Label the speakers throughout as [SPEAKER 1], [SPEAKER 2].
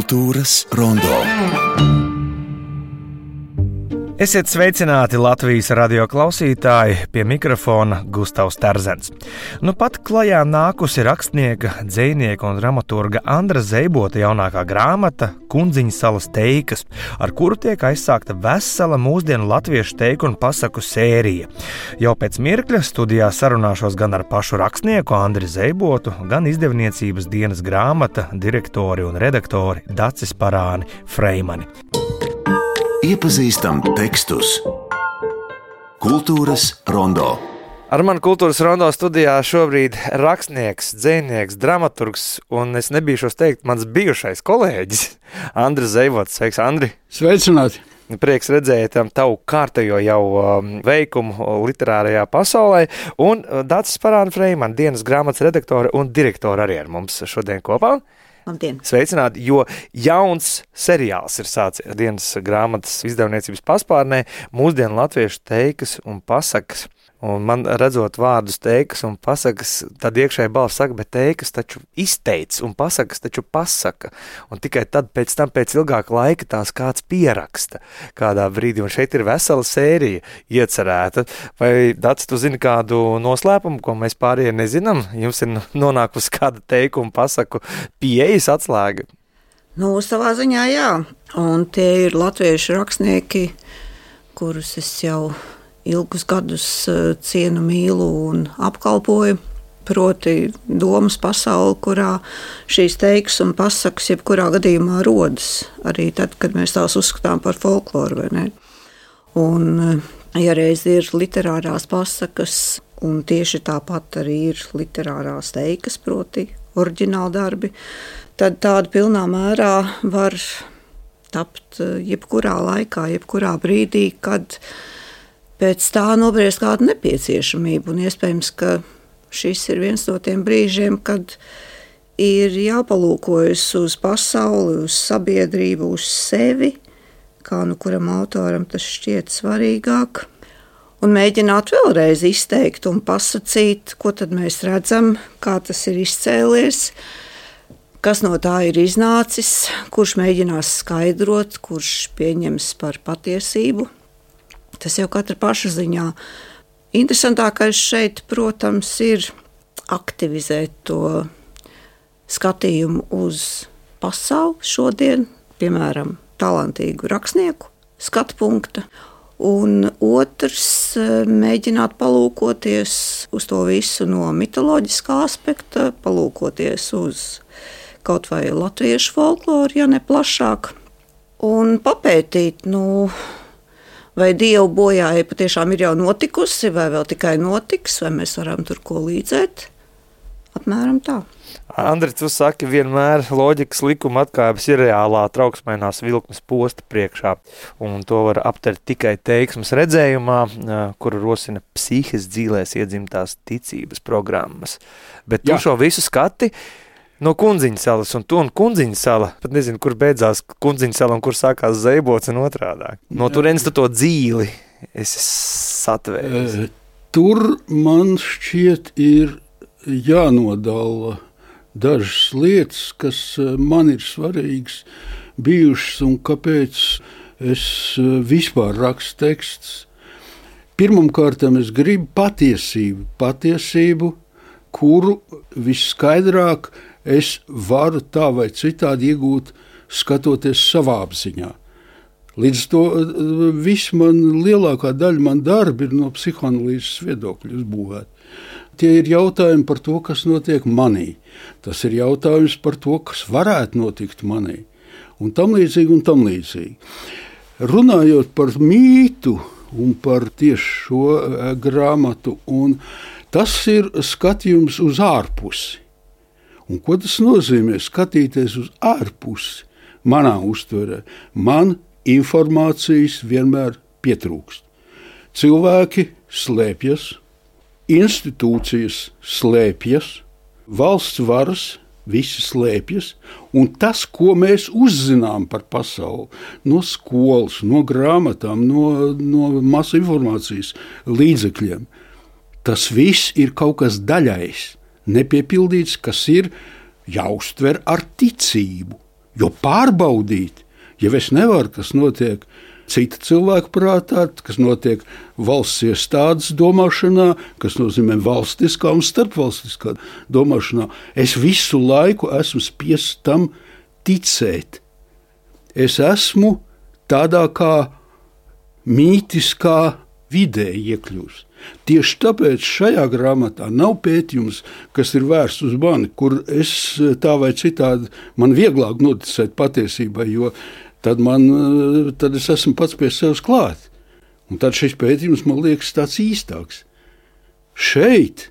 [SPEAKER 1] Kultūras rondo.
[SPEAKER 2] Esiet sveicināti Latvijas radio klausītāji, pie mikrofona Gustavs Terzens. Nu pat klajā nākusi rakstnieka, dzejnieka un dramaturga Andra Zeibota jaunākā grāmata Kundziņa salas teikas, ar kuru tiek aizsākta vesela mūsdienu latviešu teiku un pasaku sērija. Jau pēc mirkļa studijā sarunāšos gan ar pašu rakstnieku Andri Zeibotu, gan izdevniecības dienas grāmata direktori un redaktori Dacis Parāni Freimani.
[SPEAKER 1] Iepazīstam tekstus. Kultūras rondo.
[SPEAKER 2] Ar mani Kultūras rondo studijā šobrīd rakstnieks, dzejnieks, dramaturgs un es nebīšos teikt mans bijušais kolēģis Andris Zeibots. Sveiks, Andri!
[SPEAKER 3] Sveicināti!
[SPEAKER 2] Prieks redzēt tavu kārtējo jau veikumu literārajā pasaulē, un Dacis Parāni Freimani, dienas grāmatas redaktore un direktore arī ar mums šodien kopā.
[SPEAKER 4] Labdien.
[SPEAKER 2] Sveicināti, jo jauns seriāls ir sācies dienas grāmatas izdevniecības paspārnē mūsdienu latviešu teikas un pasakas. Un man redzot vārdus teikas un pasakas, tad iekšēji balss saka, bet teikas taču izteic un pasakas taču pasaka. Un tikai tad pēc tam pēc ilgāka laika tās kāds pieraksta kādā brīdī. Un šeit ir vesela sērija iecerēta. Vai, Daci, tu zini kādu noslēpumu, ko mēs pārējie nezinām? Jums ir nonākusi kāda teiku un pasaku pieejas atslēga?
[SPEAKER 4] Nu, savā ziņā jā. Un tie ir latviešu rakstnieki, kurus es jau ilgus gadus cienu, mīlu un apkalpoju, proti domas pasauli, kurā šīs teikas un pasakas jebkurā gadījumā rodas, arī tad, kad mēs tās uzskatām par folkloru, vai ne? Un, ja reiz ir literārās pasakas, un tieši tāpat arī ir literārās teikas, proti oriģināli darbi, tad tāda pilnā mērā var tapt jebkurā laikā, jebkurā brīdī, kad pēc tā nobriest kādu nepieciešamību, un iespējams, ka šis ir viens no tiem brīžiem, kad ir jāpalūkojas uz pasauli, uz sabiedrību, uz sevi, kā nu kuram autoram tas šķiet svarīgāk, un mēģināt vēlreiz izteikt un pasacīt, ko tad mēs redzam, kā tas ir izcēlies, kas no tā ir iznācis, kurš mēģinās skaidrot, kurš pieņems par patiesību. Tas jau katra paša ziņā. Interesantākais šeit, protams, ir aktivizēt to skatījumu uz pasauli šodien, piemēram, talantīgu rakstnieku skatu punkta, un otrs mēģināt palūkoties uz to visu no mitoloģiskā aspekta, palūkoties uz kaut vai latviešu folkloru, ja ne plašāk, un papētīt, vai dievu bojāja patiešām ir jau notikusi, vai vēl tikai notiks, vai mēs varam tur ko līdzēt. Apmēram tā.
[SPEAKER 2] Andri, tu saki, vienmēr loģikas likuma atkāpes ir reālā trauksmainās vilkmes posta priekšā, un to var aptvert tikai teiksmes redzējumā, kuru rosina psihes dzīlēs iedzimtās ticības programmas. Bet tu šo visu skati no Kundziņa salas, un tu un Kundziņa sala, pat nezinu, kur beidzās Kundziņa sala un kur sākās Zeibots un otrādāk. No turienes tu to dzīli esi satvērts.
[SPEAKER 3] Tur man šķiet ir jānodala dažas lietas, kas man ir svarīgas bijušas un kāpēc es vispār rakstu tekstus. Pirmkārt, es gribu patiesību, kuru visskaidrāk es varu tā vai citādi iegūt, skatoties savā apziņā. Līdz to lielākā daļa man darbi ir no psihoanalīzes viedokļa uzbūvēti. Tie ir jautājumi par to, kas notiek manī. Tas ir jautājums par to, kas varētu notikt manī. Un tam līdzīgi. Runājot par mītu un par tieši šo grāmatu, un tas ir skatījums uz ārpusi. Un ko tas nozīmē? Skatīties uz ārpusi manā uztverē. Man informācijas vienmēr pietrūkst. Cilvēki slēpjas, institūcijas slēpjas, valsts varas visi slēpjas, un tas, ko mēs uzzinām par pasauli, no skolas, no grāmatām, no masu informācijas līdzekļiem, tas viss ir kaut kas daļais, nepiepildīts, kas ir jāuztver ar ticību. Jo pārbaudīt, ja es nevaru, kas notiek cita cilvēka prātā, kas notiek valsts iestādes domāšanā, kas nozīmē valstiskā un starpvalstiskā domāšanā, es visu laiku esmu spiests tam ticēt. Es esmu tādā kā mītiskā vidē iekļūst. Tieši tāpēc šajā grāmatā nav pētījums, kas ir vērsts uz mani, kur es tā vai citādi man vieglāk noticēt patiesībai, jo tad es esmu pats pie sevis klāt. Un tad šis pētījums man liekas tāds īstāks. Šeit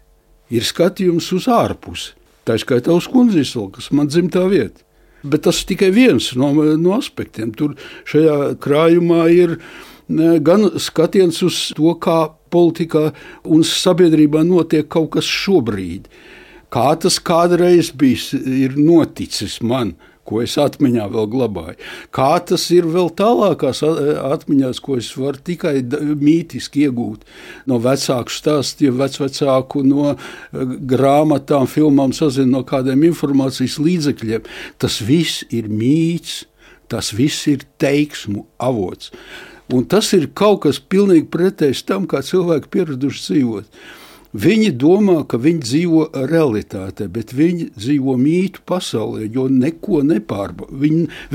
[SPEAKER 3] ir skatījums uz ārpusi, tā skaitā uz Kundzisolu, kas man dzimtā vieta. Bet tas tikai viens no aspektiem. Tur šajā krājumā ir gan skatiens uz to, kā politikā un sabiedrībā notiek kaut kas šobrīd. Kā tas kādreiz ir noticis man, ko es atmiņā vēl glabāju. Kā tas ir vēl tālākās atmiņās, ko es varu tikai mītiski iegūt no vecāku stāstiem, vecvecāku, no grāmatām, filmām, sazinu no kādiem informācijas līdzekļiem. Tas viss ir mīts, tas viss ir teiksmu avots. Un tas ir kaut kas pilnīgi pretējs tam, kā cilvēki pieraduši dzīvot. Viņi domā, ka viņi dzīvo realitātē, bet viņi dzīvo mītu pasaulē, jo neko nepārbauda.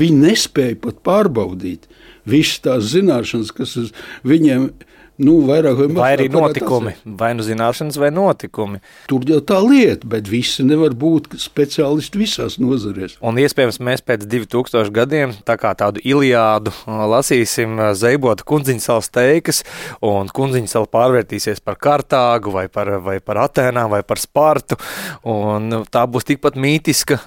[SPEAKER 3] Viņi nespēja pat pārbaudīt visas tās zināšanas, kas uz viņiem vairāk vai mazāk.
[SPEAKER 2] Vai arī notikumi, vai nu zināšanas, vai notikumi.
[SPEAKER 3] Tur jau tā lieta, bet visi nevar būt speciālisti visās nozarēs.
[SPEAKER 2] Un iespējams mēs pēc 2000 gadiem tā kā tādu Iliādu lasīsim Zeibota Kundziņsalas teikas, un Kundziņsala pārvērtīsies par Kartāgu, vai par Atēnām, vai par Spartu, un tā būs tikpat mītiska,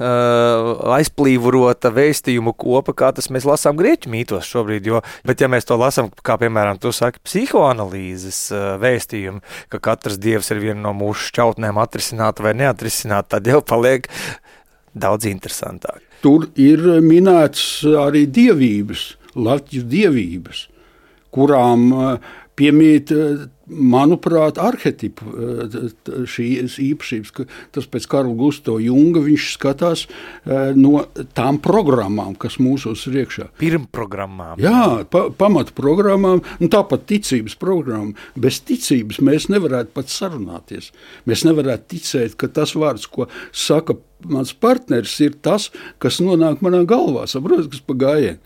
[SPEAKER 2] aizplīvurota vēstījumu kopa, kā tas mēs lasām grieķu mītos šobrīd, bet ja mēs to lasām, kā piemēram tu saki, psihoanalīzes vēstījumu, ka katrs dievs ir viena no mūsu šķautnēm atrisināta vai neatrisināta, tad jau paliek daudz interesantāk.
[SPEAKER 3] Tur ir minēts arī dievības, Latvijas dievības, kurām piemīt, manuprāt, arhetipu šīs īpašības, ka tas pēc Karla Gustava Junga viņš skatās no tām programmām, kas mūsos ir iekšā.
[SPEAKER 2] Pirmprogrammām.
[SPEAKER 3] Jā, pamatu programmām, un tāpat ticības programmām. Bez ticības mēs nevarētu pat sarunāties. Mēs nevarētu ticēt, ka tas vārds, ko saka mans partneris, ir tas, kas nonāk manā galvā, saprot, kas pa gājienu.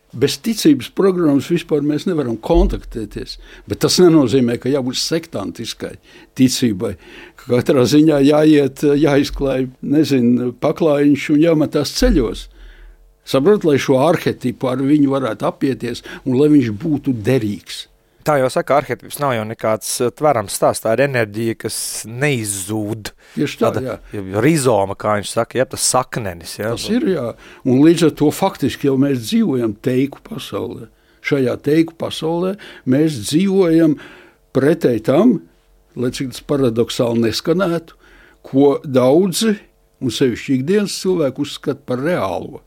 [SPEAKER 3] Bez ticības programmas vispār mēs nevaram kontaktēties, bet tas nenozīmē, ka jābūt sektantiskai ticībai. Katrā ziņā jāizklāj, paklājiņš un jāmetās ceļos. Saprot, lai šo arhetipu ar viņu varētu apieties un lai viņš būtu derīgs.
[SPEAKER 2] Tā jau saka, arhetips nav jau nekāds tverams stāsts, tā ir enerģija, kas neizzūd.
[SPEAKER 3] Tieši tā, jā.
[SPEAKER 2] Rizoma, kā viņš saka, tas saknenis. Jā.
[SPEAKER 3] Tas ir, jā. Un līdz ar to faktiski jau mēs dzīvojam teiku pasaulē. Šajā teiku pasaulē mēs dzīvojam pretēji tam, lai cik tas paradoksāli neskanētu, ko daudzi, un sevišķi ikdienas cilvēki uzskata par reālo.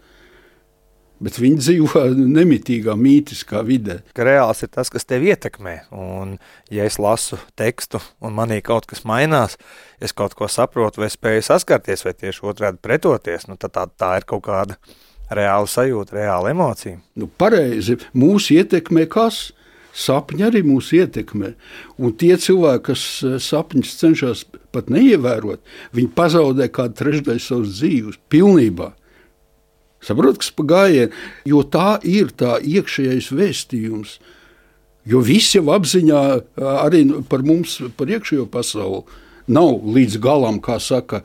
[SPEAKER 3] Bet viņi dzīvo nemitīgā, mītiskā vidē.
[SPEAKER 2] Ka reāls ir tas, kas tevi ietekmē. Un, ja es lasu tekstu un manī kaut kas mainās, es kaut ko saprotu vai spēju saskarties vai tieši otrādi pretoties, tad tā ir kaut kāda reāla sajūta, reāla emocija.
[SPEAKER 3] Pareizi. Mūs ietekmē kas? Sapņi arī mūs ietekmē. Un tie cilvēki, kas sapņus cenšas pat neievērot, viņi pazaudē kādu trešdaļu savas dzīves pilnībā. Saprot, kas pa gājienu, jo tā ir tā iekšējais vēstījums. Jo viss jau apziņā arī par mums, par iekšējo pasauli, nav līdz galam, kā saka,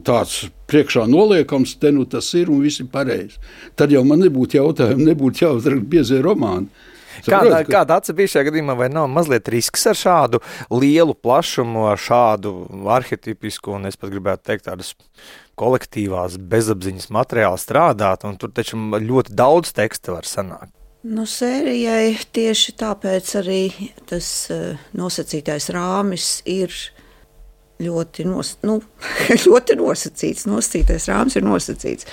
[SPEAKER 3] tāds priekšā noliekams, tas ir un viss ir pareizi. Tad jau man nebūtu jautājumu, nebūtu jāuzraksta biezie romāni.
[SPEAKER 2] Kāda atsevišķa bija šajā gadījumā, vai nav mazliet risks ar šādu lielu plašumu, ar šādu arhetipisku, un es pat gribētu teikt tādas kolektīvās bezapziņas materiāli strādāt, un tur taču ļoti daudz teksta var sanākt?
[SPEAKER 4] Sērijai tieši tāpēc arī tas nosacītais rāmis ir ļoti nosacīts. Nosacītais rāmis ir nosacīts.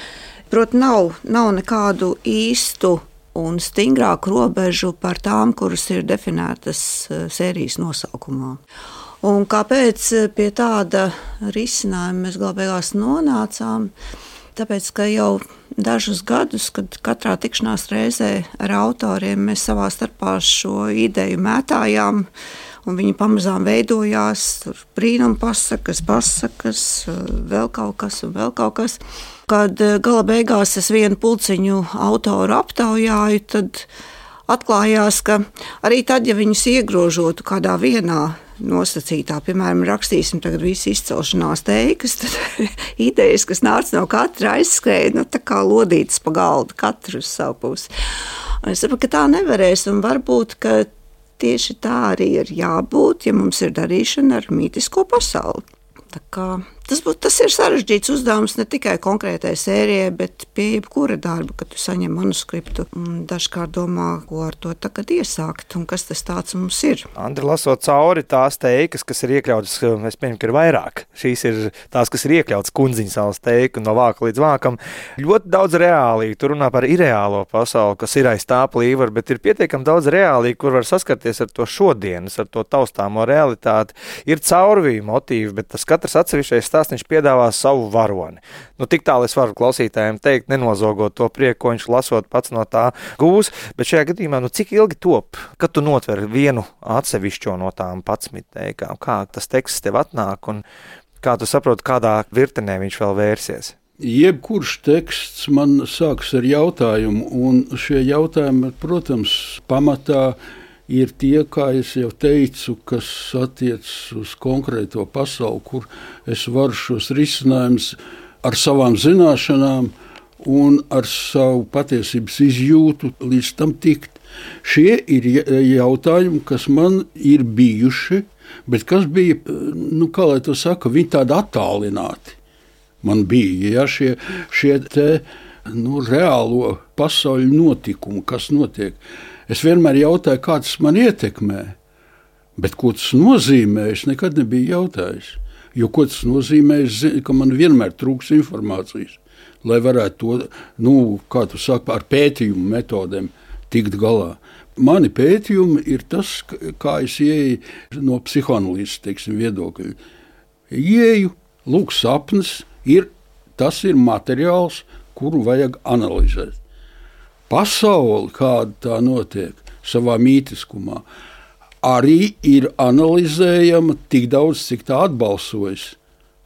[SPEAKER 4] Protams, nav nekādu īstu un stingrāku robežu par tām, kuras ir definētas sērijas nosaukumā. Un kāpēc pie tāda risinājuma mēs galu beigās nonācām? Tāpēc, ka jau dažus gadus, kad katrā tikšanās reizē ar autoriem mēs savā starpā šo ideju mētājām, un viņi pamazām veidojās, brīnum pasakas, vēl kaut kas. Kad gala beigās es vienu pulciņu autoru aptaujāju, tad atklājās, ka arī tad, ja viņus iegrožotu kādā vienā nosacītā, piemēram, rakstīsim tagad visu izcelšanās teikas, tad idejas, kas nāca no katra, aizskrēja, tā kā lodītas pa galdu, katru uz savu pusi. Un es saprotu, ka tā nevarēs, un varbūt, ka tieši tā arī ir jābūt, ja mums ir darīšana ar mītisko pasauli. Tā kā tas ir sarežģīts uzdevums ne tikai konkrētai sērijai, bet pie jebkura darba, kad tu saņem manuskriptu un dažkārt domā, ko ar to tagad iesākt un kas tas tāds mums ir.
[SPEAKER 2] Andri, lasot cauri tās teikas, kas ir iekļautas, es pieņemu, ka ir vairāk. Šīs ir tās, kas ir iekļautas Kundziņas salas teiku no vāka līdz vākam. Ļoti daudz reālī, tu runā par irreālo pasauli, kas ir aiz tā plīvara, bet ir pietiekami daudz reālī, kur var saskarties ar to šodienas, ar to taustāmo realitāti. Ir caurvīja motīvi, bet tas katrs atsevišķais stāstniņš piedāvā savu varoni. Tik tālu es varu klausītājiem teikt, nenozogot to prieku, ko viņš lasot pats no tā gūs, bet šajā gadījumā, cik ilgi top, kad tu notver vienu atsevišķo no tām 11 teikām, kā tas teksts tev atnāk un kā tu saproti, kādā virtenē viņš vēl vērsies?
[SPEAKER 3] Jebkurš teksts man sāks ar jautājumu, un šie jautājumi, protams, pamatā ir tie, kā es jau teicu, kas attiecas uz konkrēto pasauli, kur es varu šos risinājumus ar savām zināšanām un ar savu patiesības izjūtu līdz tam tikt. Šie ir jautājumi, kas man ir bijuši, bet kas bija, kā lai to saka, viņi tādi attālināti. Man bija šie te, reālo pasauļu notikumu, kas notiek. Es vienmēr jautāju, kā tas man ietekmē, bet ko tas nozīmē, es nekad nebiju jautājis. Jo ko tas nozīmē, es zinu, ka man vienmēr trūks informācijas, lai varētu to, kā tu saki, ar pētījumu metodēm tikt galā. Mani pētījumi ir tas, kā es ieeju no psihoanalīzes, viedokļa. Ieeju, lūk, sapnis, tas ir materiāls, kuru vajag analizēt. Pasauli, kāda tā notiek savā mītiskumā, arī ir analizējama tik daudz, cik tā atbalsojas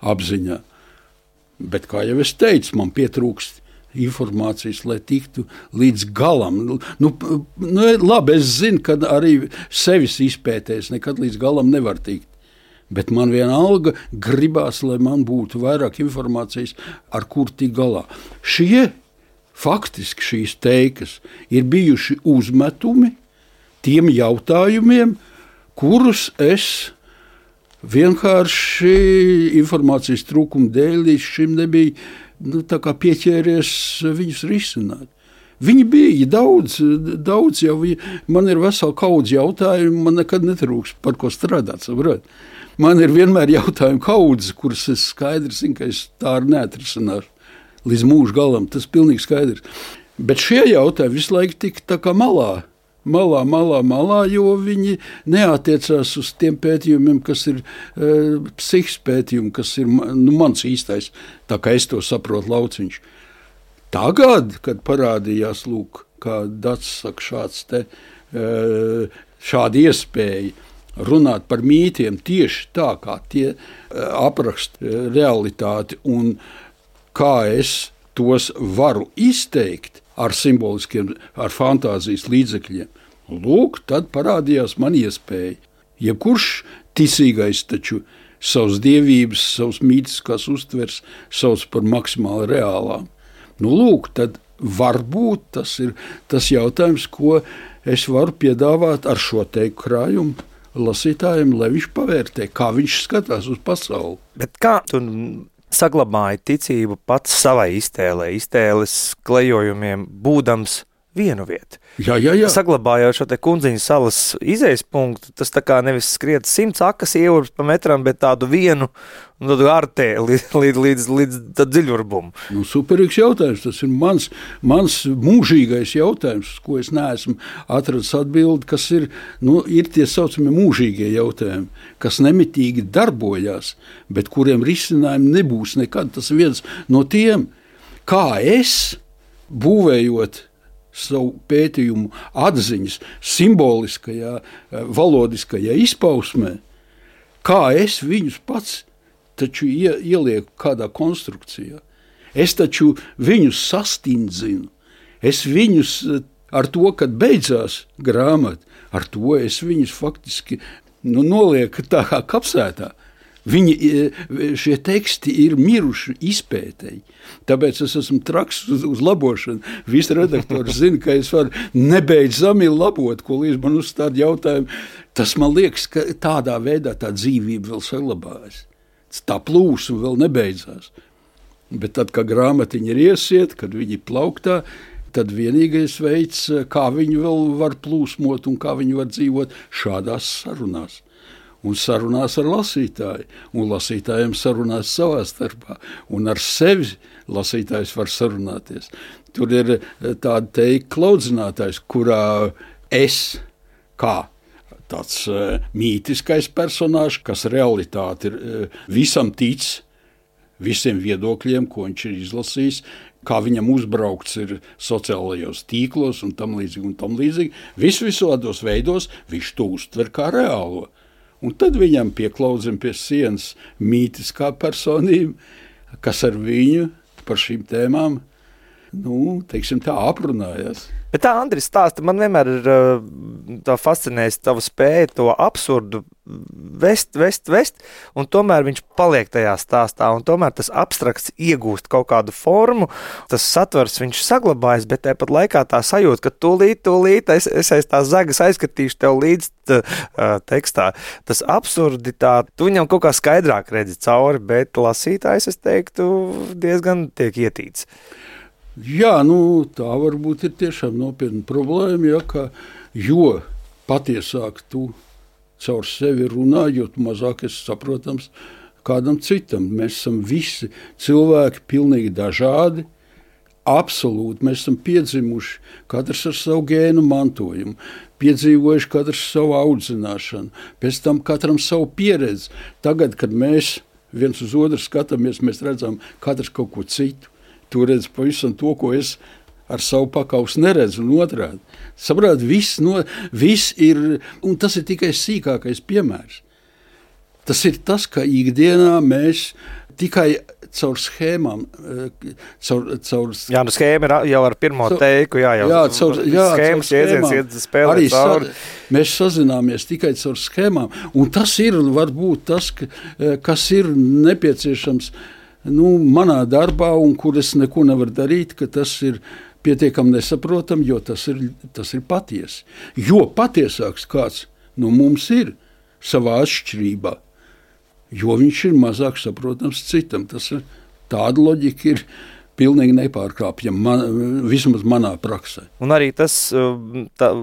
[SPEAKER 3] apziņā. Bet, kā jau es teicu, man pietrūkst informācijas, lai tiktu līdz galam. Labi, es zinu, ka arī sevis izpētēs nekad līdz galam nevar tikt. Bet man vienalga gribās, lai man būtu vairāk informācijas, ar kur tik galā. Faktiski šīs teikas ir bijuši uzmetumi tiem jautājumiem, kurus es vienkārši informācijas trūkuma dēļ līdz šim nebija pieķēries viņus risināt. Viņi bija daudz jau, man ir vesela kaudze jautājumu, man nekad netrūks par ko strādāt, saprot. Man ir vienmēr jautājumu kaudze, kuras es skaidri zinu, ka es tā arī neatrisināšu. Līdz mūža galam, tas ir pilnīgi skaidrs. Bet šie jautājumi visu laiku tika tā kā malā, jo viņi neatiecās uz tiem pētījumiem, kas ir psihisks pētījumi, kas ir mans īstais, tā kā es to saprotu, lauciņš. Tagad, kad parādījās, kā Dats saka, šāda iespēja runāt par mītiem tieši tā, kā tie apraksta realitāti un kā es tos varu izteikt ar simboliskiem, ar fantāzijas līdzekļiem. Tad parādījās man iespēja. Jebkurš ticīgais taču savas dievības, savas mītiskās uztvers sauc par maksimāli reālām. Tad varbūt tas ir tas jautājums, ko es varu piedāvāt ar šo teiku krājumu lasītājiem, lai viņš pavērtē, kā viņš skatās uz pasauli.
[SPEAKER 2] Bet kā tu saglabāja ticību pats savai iztēles klejojumiem, būdams vienu vietu.
[SPEAKER 3] Jā.
[SPEAKER 2] Saglabājot šo te Kundziņas salas izejas punktu, tas tā kā nevis skriet 100 akas ieurus pa metram, bet tādu vienu artē līdz dziļurbumu.
[SPEAKER 3] Superīgs jautājums. Tas ir mans mūžīgais jautājums, ko es neesmu atradis atbildi, kas ir tie saucamie mūžīgie jautājumi, kas nemitīgi darbojās, bet kuriem risinājumi nebūs nekad. Tas viens no tiem, kā es, būvējot savu pētījumu atziņas simboliskajā, valodiskajā izpausmē, kā es viņus pats taču ielieku kādā konstrukcijā. Es taču viņus sastindzinu. Es viņus ar to, kad beidzās grāmata, ar to es viņus faktiski nolieku tā kā kapsētā. Šie teksti ir miruši izpētēji. Tāpēc es esmu traks uz labošanu. Visi redaktori zina, ka es varu nebeidzami labot, ko līdz man uzstāda jautājumu. Tas man liekas, ka tādā veidā tā dzīvība vēl saglabājas. Tā plūsma vēl nebeidzās. Bet tad, kad grāmatiņa ir iesiet, kad viņi plauktā, tad vienīgais veids, kā viņi vēl var plūsmot un kā viņi var dzīvot šādās sarunās. Un sarunās ar lasītāju, un lasītājiem sarunās savā starpā, un ar sevi lasītājs var sarunāties. Tur ir tāda teika klaudzinātājs, kurā es, kā tāds mītiskais personāžs, kas realitāte ir visam tic, visiem viedokļiem, ko viņš ir izlasījis, kā viņam uzbraukts ir sociālajos tīklos un tam līdzīgi. Visādos veidos viņš to uztver kā reālo. Un tad viņam pieklaudzim pie sienas mītiskā personība, kas ar viņu par šīm tēmām, teiksim tā, aprunājās.
[SPEAKER 2] Bet tā, Andris, stāsta, man vienmēr ir tā fascinējis tava spēja to absurdu vest, un tomēr viņš paliek tajā stāstā, un tomēr tas abstrakts iegūst kaut kādu formu, tas satvers viņš saglabājas, bet tāpat laikā tā sajūta, ka tūlīt es aiz tās zagas aizskatīšu tev līdz tekstā. Tas absurditāte, tu viņam kaut kā skaidrāk redzi cauri, bet lasītājs, es teiktu, diezgan tiek ietīts.
[SPEAKER 3] Jā, tā varbūt ir tiešām nopietna problēma, jo patiesāk tu caur sevi runā, jo mazāk esi saprotams kādam citam. Mēs esam visi cilvēki pilnīgi dažādi, absolūti. Mēs esam piedzimuši katrs ar savu gēnu mantojumu, piedzīvojuši katrs savu audzināšanu, pēc tam katram savu pieredzi. Tagad, kad mēs viens uz otru skatāmies, mēs redzam katrs kaut ko citu. Tu redzi pavisam to, ko es ar savu pakausu neredzu, un otrādi. Saprāt, viss ir, un tas ir tikai sīkākais piemērs. Tas ir tas, ka ikdienā mēs tikai caur schēmām, caur...
[SPEAKER 2] Jā, schēma jau ar pirmo teiku, schēmas iedziens spēlēt cauri.
[SPEAKER 3] Mēs sazināmies tikai caur schēmām, un tas ir varbūt tas, kas ir nepieciešams manā darbā, un kur es neko nevaru darīt, ka tas ir pietiekami nesaprotam, jo tas ir patiesi. Jo patiesāks kāds no mums ir savā atšķirībā, jo viņš ir mazāk saprotams citam. Tas ir, tāda loģika ir pilnīgi nepārkāpjama, vismaz manā praksē.
[SPEAKER 2] Un arī tas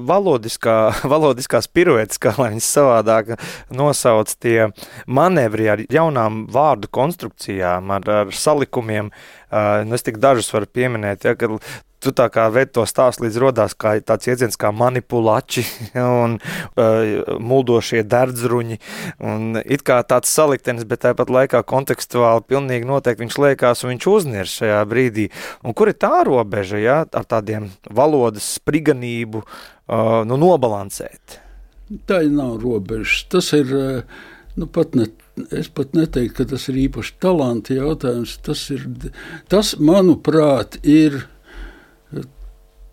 [SPEAKER 2] valodiskās piruetes, kā lai viņas savādāk nosauc, tie manevri ar jaunām vārdu konstrukcijām, ar salikumiem. Es tik dažus varu pieminēt, kad tu tā kā ved to stāstu līdz rodās kā tāds iedziens kā manipulači un muldošie derdzruņi un it kā tāds saliktenis, bet tāpat laikā kontekstuāli pilnīgi noteikti viņš liekās un viņš uznirs šajā brīdī. Un kur ir tā robeža, ar tādiem valodas spriganību nobalansēt?
[SPEAKER 3] Tā nav robežas. Tas ir, es pat neteiktu, ka tas ir īpaši talanta jautājums. Tas manuprāt, ir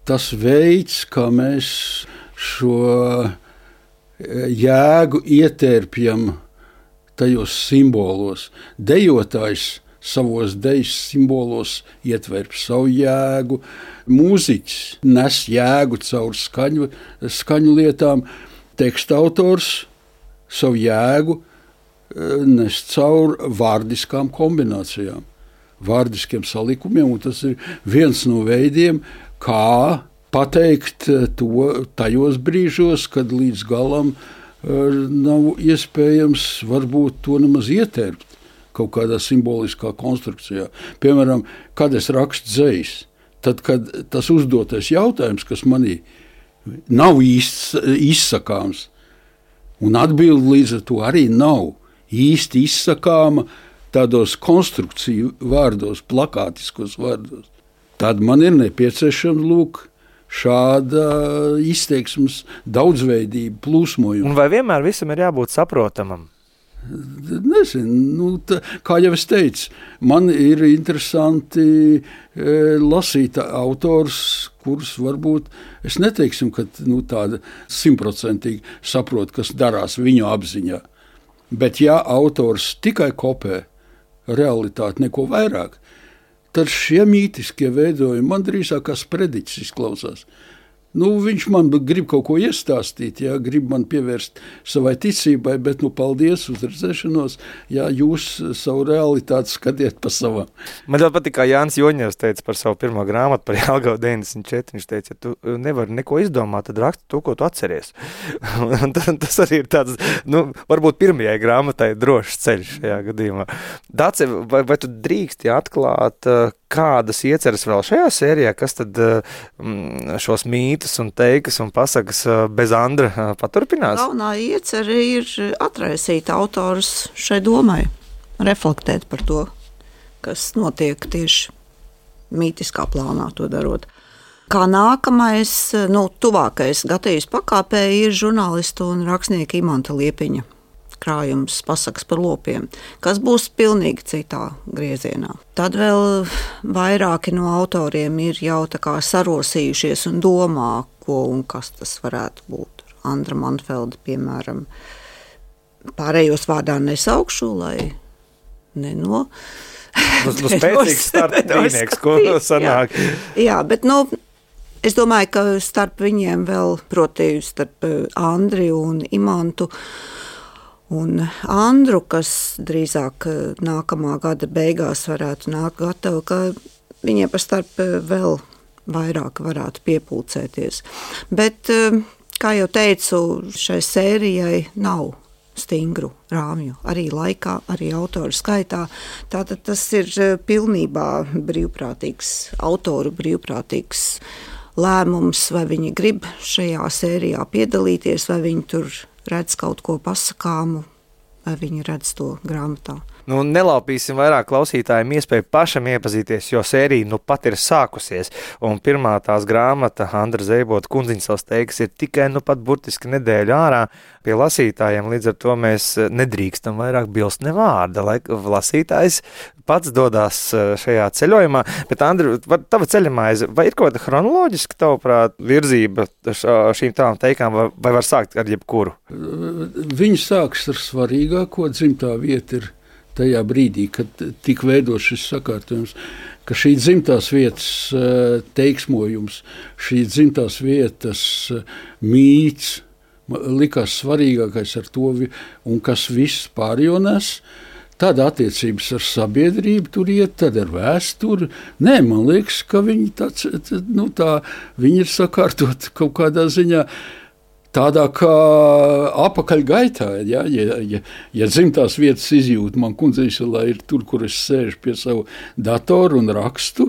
[SPEAKER 3] tas veids, kā mēs šo jēgu ietērpjam tajos simbolos. Dejotājs savos dejas simbolos ietverp savu jēgu, mūziķis nes jēgu caur skaņu lietām, teksta autors savu jēgu nes caur vārdiskām kombinācijām, vārdiskiem salikumiem, un tas ir viens no veidiem, kā pateikt to tajos brīžos, kad līdz galam nav iespējams varbūt to nemaz ietērpt kaut kādā simboliskā konstrukcijā. Piemēram, kad es rakstu dzejas, tad, kad tas uzdotais jautājums, kas manī nav izsakāms, un atbildi līdz ar to arī nav īsti izsakāma tādos konstrukciju vārdos, plakātiskos vārdos. tad man ir nepieciešams lūk šāda izteiksmes daudzveidība, plūsmojuma.
[SPEAKER 2] Un vai vienmēr visam ir jābūt saprotamam?
[SPEAKER 3] Nezinu, kā jau es teicu, man ir interesanti lasīt autors, kurus varbūt es neteiksim, ka tāda 100% saprot, kas darās viņu apziņā. Bet ja autors tikai kopē realitāti, neko vairāk, tad šie mītiskie veidojumi man drīzāk kā sprediķis izklausās. Viņš man grib kaut ko iestāstīt, grib man pievērst savai ticībai, bet paldies uz redzēšanos, jūs savu realitāti skatiet pa savam.
[SPEAKER 2] Man ļoti patīk, kā Jānis Joņevs teica par savu pirmo grāmatu par Jelgavu 94. Viņš teica, ja tu nevari neko izdomāt, tad raksti to, ko tu atceries. Un tas arī ir tāds, varbūt pirmajai grāmatai drošs ceļš šajā gadījumā. Dace, vai tu drīksti atklāt, kādas ieceras vēl šajā sērijā, kas tad šos mītus un teikas un pasakas bez Andra paturpinās?
[SPEAKER 4] Galvenā iecera ir atraisīt autors šai domai, reflektēt par to, kas notiek tieši mītiskā plānā to darot. Kā nākamais, tuvākais gatavības pakāpē ir žurnālistu un rakstnieka Imanta Liepiņa krājums pasakas par lopiem, kas būs pilnīgi citā griezienā. Tad vēl vairāki no autoriem ir jau tā kā sarosījušies un domā, ko un kas tas varētu būt. Andra Manfelda, piemēram, pārējos vārdā nesaukšu, lai
[SPEAKER 2] spēcīgs starpdīnieks, ko sanāk.
[SPEAKER 4] Jā, bet es domāju, ka starp viņiem vēl, proti, starp Andri un Imantu, un Andru, kas drīzāk nākamā gada beigās varētu nākt gatavu, ka viņiem par starp vēl vairāk varētu piepulcēties. Bet, kā jau teicu, šai sērijai nav stingru rāmju, arī laikā, arī autoru skaitā. Tātad tas ir pilnībā autoru brīvprātīgs lēmums, vai viņi grib šajā sērijā piedalīties, vai viņi tur redz kaut ko pasakāmu, vai viņi redz to grāmatā.
[SPEAKER 2] Nelaupīsim vairāk klausītājiem iespēju pašam iepazīties, jo sērija pat ir sākusies. Un pirmā tās grāmata, Andra Zeibota Kundziņsalas teikas, ir tikai pat burtiski nedēļu ārā pie lasītājiem. Līdz ar to mēs nedrīkstam vairāk bilst ne vārda, lai lasītājs pats dodās šajā ceļojumā. Bet, Andra, tava ceļamaize, vai ir kaut kāda chronoloģiska, tavuprāt, virzība šīm tām teikām, vai var sākt ar jebkuru?
[SPEAKER 3] Viņi sāks ar svarīgāko, dzimtā vieta ir tajā brīdī, kad tika veidots šis sakārtojums, ka šī dzimtās vietas teiksmojums, šī dzimtās vietas mīts likās svarīgākais ar to, un kas viss pārējo nes. Tad attiecības ar sabiedrību tur iet, tad ar vēsturi. Nē, man liekas, ka viņi viņi ir sakārtot kaut kādā ziņā tādā kā apakaļgaitā. Ja dzimtās vietas izjūta man Kundziņsalā ir tur, kur es sēžu pie savu datoru un rakstu,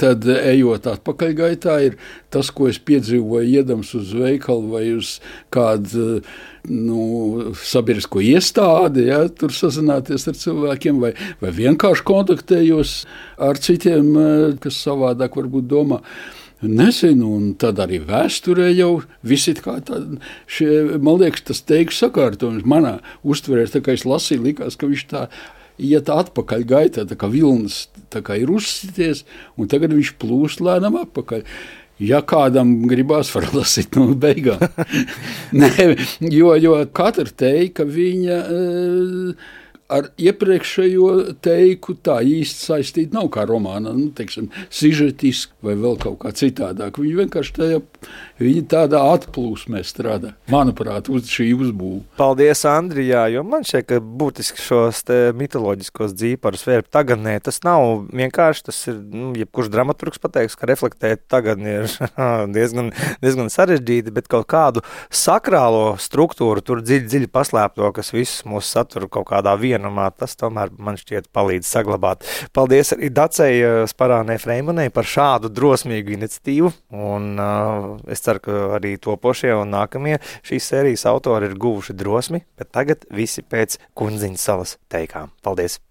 [SPEAKER 3] tad ejot atpakaļgaitā ir tas, ko es piedzīvoju iedams uz veikalu vai uz kādu sabiedrisko iestādi, tur sazināties ar cilvēkiem vai vienkārši kontaktējos ar citiem, kas savādāk varbūt domā. Nezinu, un tad arī vēsturē jau visi kā tādi, man liekas, tas teiku sakārtojums manā uztverē, tā kā es lasīju, likās, ka viņš tā iet atpakaļ gaitā, tā kā vilnas tā kā ir uzsities, un tagad viņš plūst lēnām atpakaļ. Ja kādam gribās, var lasīt no beigām. Nē, jo katra teika viņa ar iepriekšējo teiku tā īsti saistīta nav kā romānā, teiksim, sižetiski vai vēl kaut kā citādāk. Viņi vienkārši tādā atplūsmē strādā, manuprāt, uz šī uzbūve.
[SPEAKER 2] Paldies, Andrijā, jo man šķiet, ka būtiski šos mitoloģiskos dzīparus vērp tagadnē, tas nav vienkārši, tas ir, jebkurš dramaturgs pateiks, ka reflektēt tagadni ir diezgan sarežģīti, bet kaut kādu sakrālo struktūru tur dziļi paslēpto, kas visus mūs satur kaut kādā vienumā, tas tomēr man šķiet palīdz saglabāt. Paldies arī Dacei Sparānei Freimanei par šādu drosmīgu iniciatīvu, un es ceru, ka arī topošie un nākamie šīs sērijas autori ir guvuši drosmi, bet tagad visi pēc Kundziņsalas teikām. Paldies!